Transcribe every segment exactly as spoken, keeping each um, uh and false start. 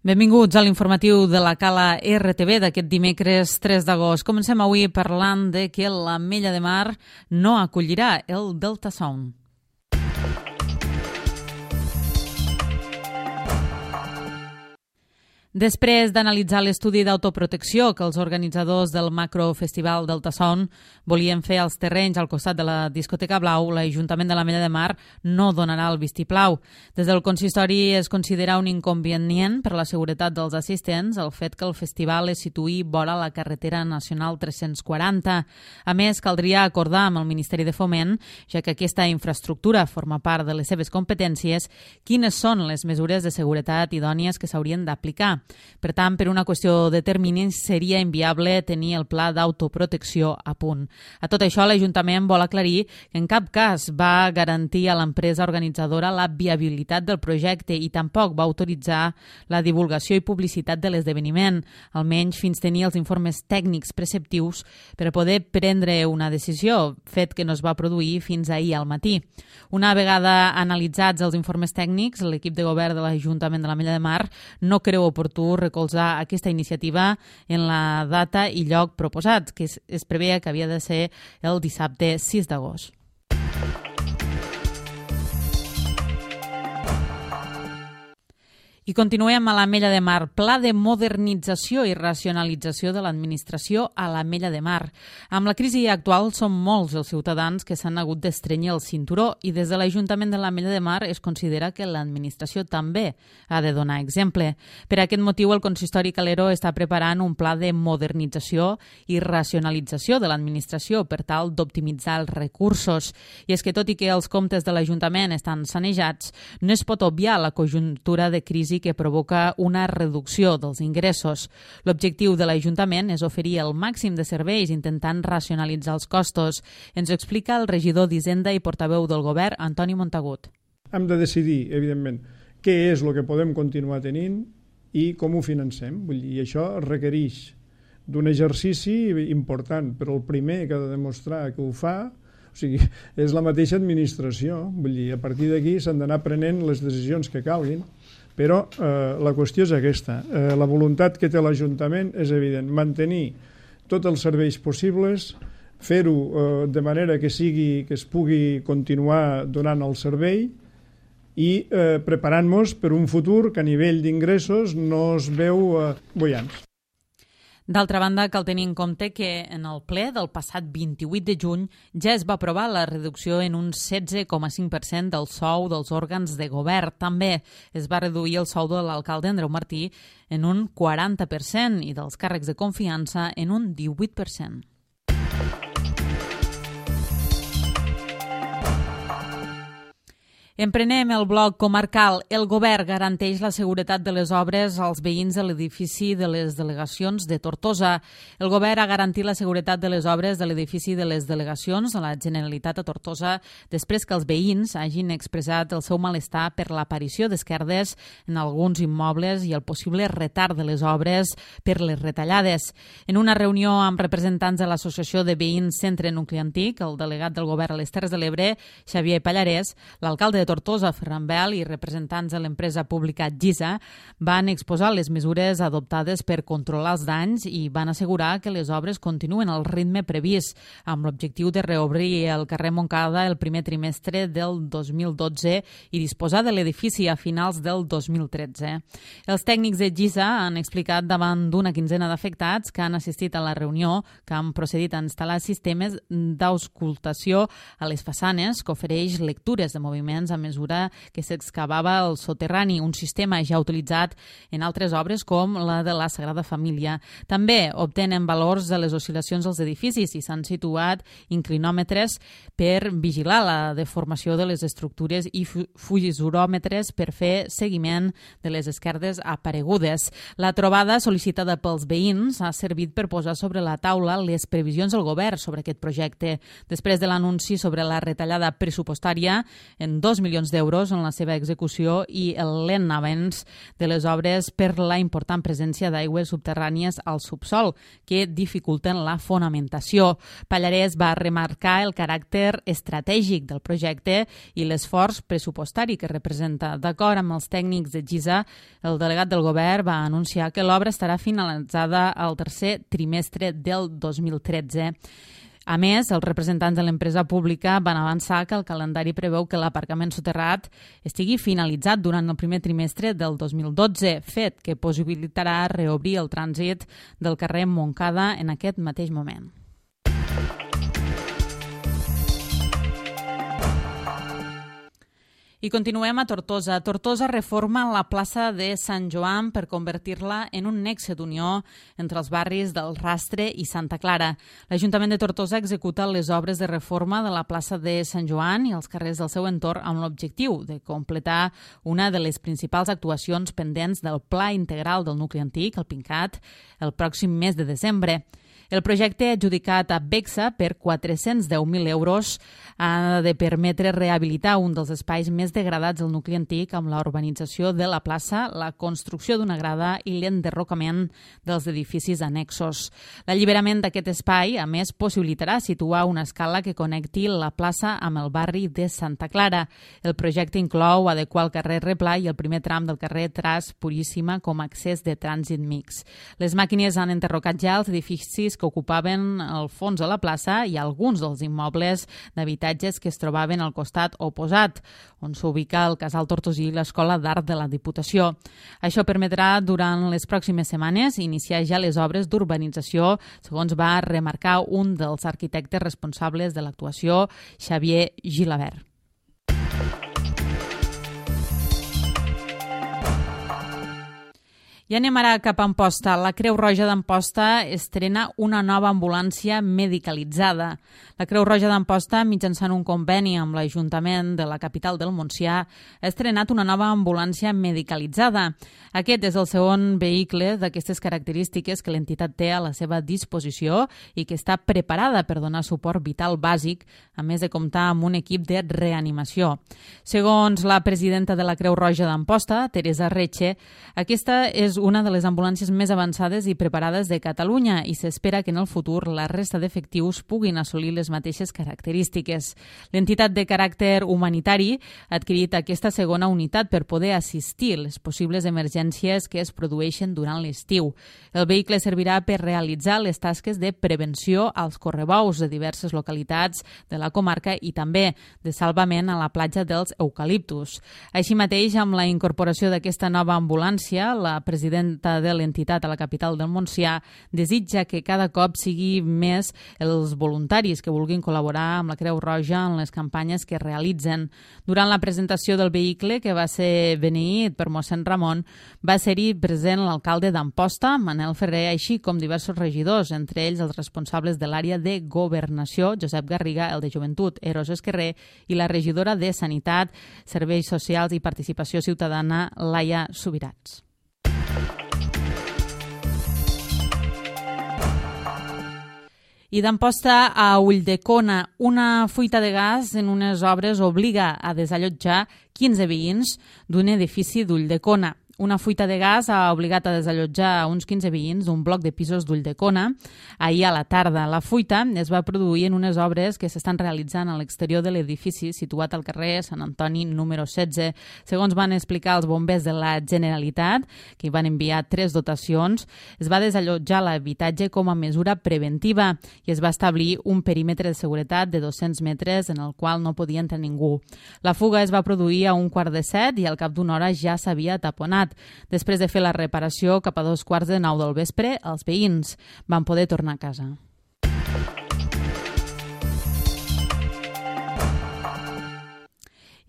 Benvinguts a l'informatiu de la Cala R T V d'aquest dimecres tres d'agost. Comencem avui parlant de que l'Ametlla de Mar no acollirà el Delta Sound. Després d'analitzar l'estudi d'autoprotecció que els organitzadors del macrofestival Delta Sound volien fer als terrenys al costat de la discoteca Blau, l'Ajuntament de l'Ametlla de Mar no donarà el vistiplau. Des del consistori es considera un inconvenient per a la seguretat dels assistents el fet que el festival es situï vora la carretera nacional tres-cents quaranta. A més, caldria acordar amb el Ministeri de Foment, ja que aquesta infraestructura forma part de les seves competències, quines són les mesures de seguretat idònies que s'haurien d'aplicar. Per tant, per una qüestió de terminis, seria inviable tenir el pla d'autoprotecció a punt. A tot això, l'Ajuntament vol aclarir que en cap cas va garantir a l'empresa organitzadora la viabilitat del projecte i tampoc va autoritzar la divulgació i publicitat de l'esdeveniment, almenys fins tenir els informes tècnics preceptius per a poder prendre una decisió, fet que no es va produir fins ahir al matí. Una vegada analitzats els informes tècnics, l'equip de govern de l'Ajuntament de l'Ametlla de Mar no creu oportú recolzar aquesta iniciativa en la data i lloc proposats, que es, es preveia que havia de ser el dissabte sis d'agost. I continuem a l'Ametlla de Mar. Pla de modernització i racionalització de l'administració a l'Ametlla de Mar. Amb la crisi actual són molts els ciutadans que s'han hagut d'estrènyer el cinturó i des de l'Ajuntament de l'Ametlla de Mar es considera que l'administració també ha de donar exemple. Per aquest motiu, el consistori Calero està preparant un pla de modernització i racionalització de l'administració per tal d'optimitzar els recursos. I és que tot i que els comptes de l'Ajuntament estan sanejats, no es pot obviar la conjuntura de crisi que provoca una reducció dels ingressos. L'objectiu de l'Ajuntament és oferir el màxim de serveis intentant racionalitzar els costos. Ens ho explica el regidor d'Hisenda i portaveu del govern, Antoni Montagut. Hem de decidir, evidentment, què és el que podem continuar tenint i com ho financem. Vull dir, i això requereix d'un exercici important, però el primer que ha de demostrar que ho fa, o sigui, és la mateixa administració. Vull dir, a partir d'aquí s'han d'anar prenent les decisions que calguin. Però eh, la qüestió és aquesta. Eh, la voluntat que té l'Ajuntament és evident. Mantenir tots els serveis possibles, fer-ho eh, de manera que sigui que es pugui continuar donant el servei i eh, preparant-nos per un futur que a nivell d'ingressos no es veu eh, boiants. D'altra banda, cal tenir en compte que en el ple del passat vint-i-vuit de juny ja es va aprovar la reducció en un setze coma cinc per cent del sou dels òrgans de govern. També es va reduir el sou de l'alcalde Andreu Martí en un quaranta per cent i dels càrrecs de confiança en un divuit per cent. Emprenem el bloc comarcal. El govern garanteix la seguretat de les obres als veïns de l'edifici de les delegacions de Tortosa. El govern ha garantit la seguretat de les obres de l'edifici de les delegacions de la Generalitat a Tortosa després que els veïns hagin expressat el seu malestar per l'aparició d'esquerdes en alguns immobles i el possible retard de les obres per les retallades. En una reunió amb representants de l'Associació de Veïns Centre Nucli Antic, el delegat del govern a les Terres de l'Ebre, Xavier Pallarès, l'alcalde de Tortosa, Ferran Bel, i representants de l'empresa pública Gisa van exposar les mesures adoptades per controlar els danys i van assegurar que les obres continuen al ritme previst, amb l'objectiu de reobrir el carrer Montcada el primer trimestre del dos mil dotze i disposar de l'edifici a finals del dos mil tretze. Els tècnics de Gisa han explicat davant d'una quinzena d'afectats que han assistit a la reunió que han procedit a instal·lar sistemes d'auscultació a les façanes que ofereix lectures de moviments a mesura que s'excavava el soterrani, un sistema ja utilitzat en altres obres com la de la Sagrada Família. També obtenen valors de les oscil·lacions dels edificis i s'han situat inclinòmetres per vigilar la deformació de les estructures i fugisoròmetres per fer seguiment de les esquerdes aparegudes. La trobada sol·licitada pels veïns ha servit per posar sobre la taula les previsions del govern sobre aquest projecte. Després de l'anunci sobre la retallada pressupostària, en dos dos milions d'euros en la seva execució i el lent avanç de les obres per la important presència d'aigües subterrànies al subsol, que dificulten la fonamentació. Pallarès va remarcar el caràcter estratègic del projecte i l'esforç pressupostari que representa. D'acord amb els tècnics de GISA, el delegat del govern va anunciar que l'obra estarà finalitzada al tercer trimestre del dos mil tretze. A més, els representants de l'empresa pública van avançar que el calendari preveu que l'aparcament soterrat estigui finalitzat durant el primer trimestre del dos mil dotze, fet que possibilitarà reobrir el trànsit del carrer Montcada en aquest mateix moment. I continuem a Tortosa. Tortosa reforma la plaça de Sant Joan per convertir-la en un nexe d'unió entre els barris del Rastre i Santa Clara. L'Ajuntament de Tortosa executa les obres de reforma de la plaça de Sant Joan i els carrers del seu entorn amb l'objectiu de completar una de les principals actuacions pendents del Pla Integral del Nucli Antic, el PINCAT, el pròxim mes de desembre. El projecte adjudicat a Bexa per quatre-cents deu mil euros ha de permetre rehabilitar un dels espais més degradats del nucli antic amb la urbanització de la plaça, la construcció d'una grada i l'enderrocament dels edificis annexos. L'alliberament d'aquest espai, a més, possibilitarà situar una escala que connecti la plaça amb el barri de Santa Clara. El projecte inclou adequar el carrer Replà i el primer tram del carrer Tras Puríssima com a accés de trànsit mix. Les màquines han enderrocat ja els edificis que ocupaven el fons de la plaça i alguns dels immobles d'habitatges que es trobaven al costat oposat, on s'ubica el Casal Tortosí i l'Escola d'Art de la Diputació. Això permetrà, durant les pròximes setmanes, iniciar ja les obres d'urbanització, segons va remarcar un dels arquitectes responsables de l'actuació, Xavier Gilabert. I anem ara cap a Amposta. La Creu Roja d'Amposta estrena una nova ambulància medicalitzada. La Creu Roja d'Amposta, mitjançant un conveni amb l'Ajuntament de la capital del Montsià, ha estrenat una nova ambulància medicalitzada. Aquest és el segon vehicle d'aquestes característiques que l'entitat té a la seva disposició i que està preparada per donar suport vital bàsic, a més de comptar amb un equip de reanimació. Segons la presidenta de la Creu Roja d'Amposta, Teresa Reche, aquesta és una de les ambulàncies més avançades i preparades de Catalunya i s'espera que en el futur la resta d'efectius puguin assolir les mateixes característiques. L'entitat de caràcter humanitari ha adquirit aquesta segona unitat per poder assistir les possibles emergències que es produeixen durant l'estiu. El vehicle servirà per realitzar les tasques de prevenció als correbous de diverses localitats de la comarca i també de salvament a la platja dels Eucaliptus. Així mateix, amb la incorporació d'aquesta nova ambulància, la presidenta de l'entitat a la capital del Montsià desitja que cada cop sigui més els voluntaris que vulguin col·laborar amb la Creu Roja en les campanyes que realitzen. Durant la presentació del vehicle, que va ser beneït per mossèn Ramon, va ser-hi present l'alcalde d'Amposta, Manel Ferrer, així com diversos regidors, entre ells els responsables de l'àrea de Governació, Josep Garriga, el de Joventut, Eros Esquerrer, i la regidora de Sanitat, Serveis Socials i Participació Ciutadana, Laia Subirats. I d'Amposta a Ulldecona, una fuita de gas en unes obres obliga a desallotjar quinze veïns d'un edifici d'Ulldecona. Una fuita de gas ha obligat a desallotjar uns quinze veïns d'un bloc de pisos d'Ulldecona ahir a la tarda. La fuita es va produir en unes obres que s'estan realitzant a l'exterior de l'edifici situat al carrer Sant Antoni número setze. Segons van explicar els bombers de la Generalitat, que hi van enviar tres dotacions, es va desallotjar l'habitatge com a mesura preventiva i es va establir un perímetre de seguretat de dos-cents metres en el qual no podia entrar ningú. La fuga es va produir a un quart de set i al cap d'una hora ja s'havia taponat. Després de fer la reparació, cap a dos quarts de nou del vespre, els veïns van poder tornar a casa.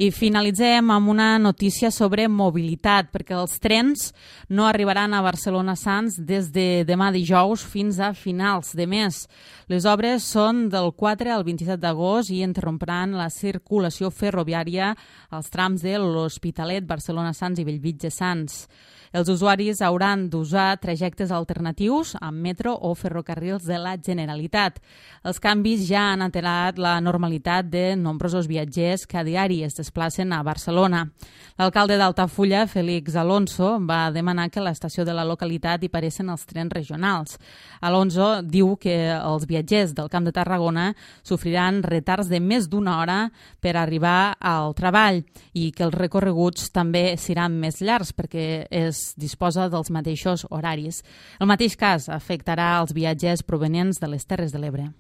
I finalitzem amb una notícia sobre mobilitat, perquè els trens no arribaran a Barcelona Sants des de demà dijous fins a finals de mes. Les obres són del quatre al vint-i-set d'agost i interrompiran la circulació ferroviària als trams de l'Hospitalet, Barcelona Sants i Bellvitge Sants. Els usuaris hauran d'usar trajectes alternatius amb metro o ferrocarrils de la Generalitat. Els canvis ja han alterat la normalitat de nombrosos viatgers que a diari es desplacen desplacen a Barcelona. L'alcalde d'Altafulla, Félix Alonso, va demanar que a l'estació de la localitat hi paressin els trens regionals. Alonso diu que els viatgers del Camp de Tarragona sofriran retards de més d'una hora per arribar al treball i que els recorreguts també seran més llargs perquè es disposa dels mateixos horaris. El mateix cas afectarà els viatgers provenients de les Terres de l'Ebre.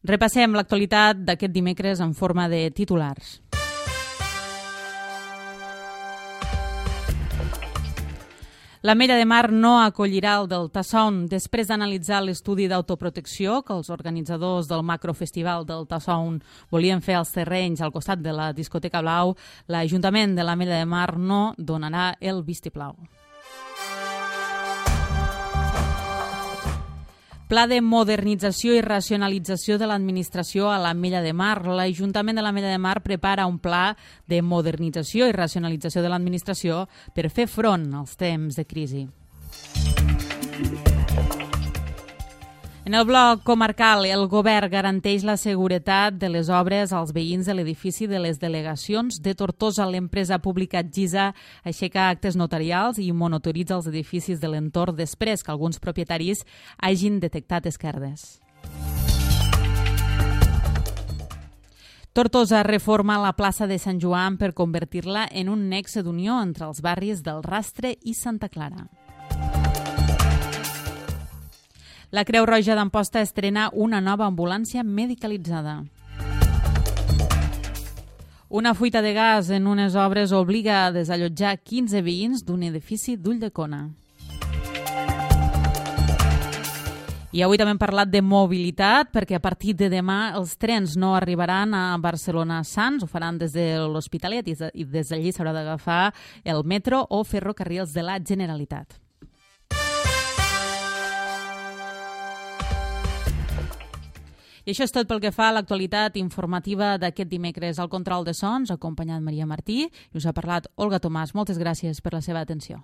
Repassem l'actualitat d'aquest dimecres en forma de titulars. L'Ametlla de Mar no acollirà el Delta Sound. Després d'analitzar l'estudi d'autoprotecció que els organitzadors del macrofestival Delta Sound volien fer als terrenys al costat de la discoteca Blau, l'Ajuntament de l'Ametlla de Mar no donarà el vistiplau. Pla de modernització i racionalització de l'administració a l'Ametlla de Mar. L'Ajuntament de l'Ametlla de Mar prepara un pla de modernització i racionalització de l'administració per fer front als temps de crisi. En el bloc comarcal, el govern garanteix la seguretat de les obres als veïns de l'edifici de les delegacions de Tortosa. L'empresa pública Gisa aixeca actes notarials i monitoritza els edificis de l'entorn després que alguns propietaris hagin detectat esquerdes. Tortosa reforma la plaça de Sant Joan per convertir-la en un nexe d'unió entre els barris del Rastre i Santa Clara. La Creu Roja d'Amposta estrena una nova ambulància medicalitzada. Una fuita de gas en unes obres obliga a desallotjar quinze veïns d'un edifici d'Ulldecona. I avui també hem parlat de mobilitat, perquè a partir de demà els trens no arribaran a Barcelona-Sants, ho faran des de l'Hospitalet i des d'allí s'haurà d'agafar el metro o ferrocarrils de la Generalitat. I això és tot pel que fa a l'actualitat informativa d'aquest dimecres. Al control de sons, acompanyat Maria Martí, i us ha parlat Olga Tomàs. Moltes gràcies per la seva atenció.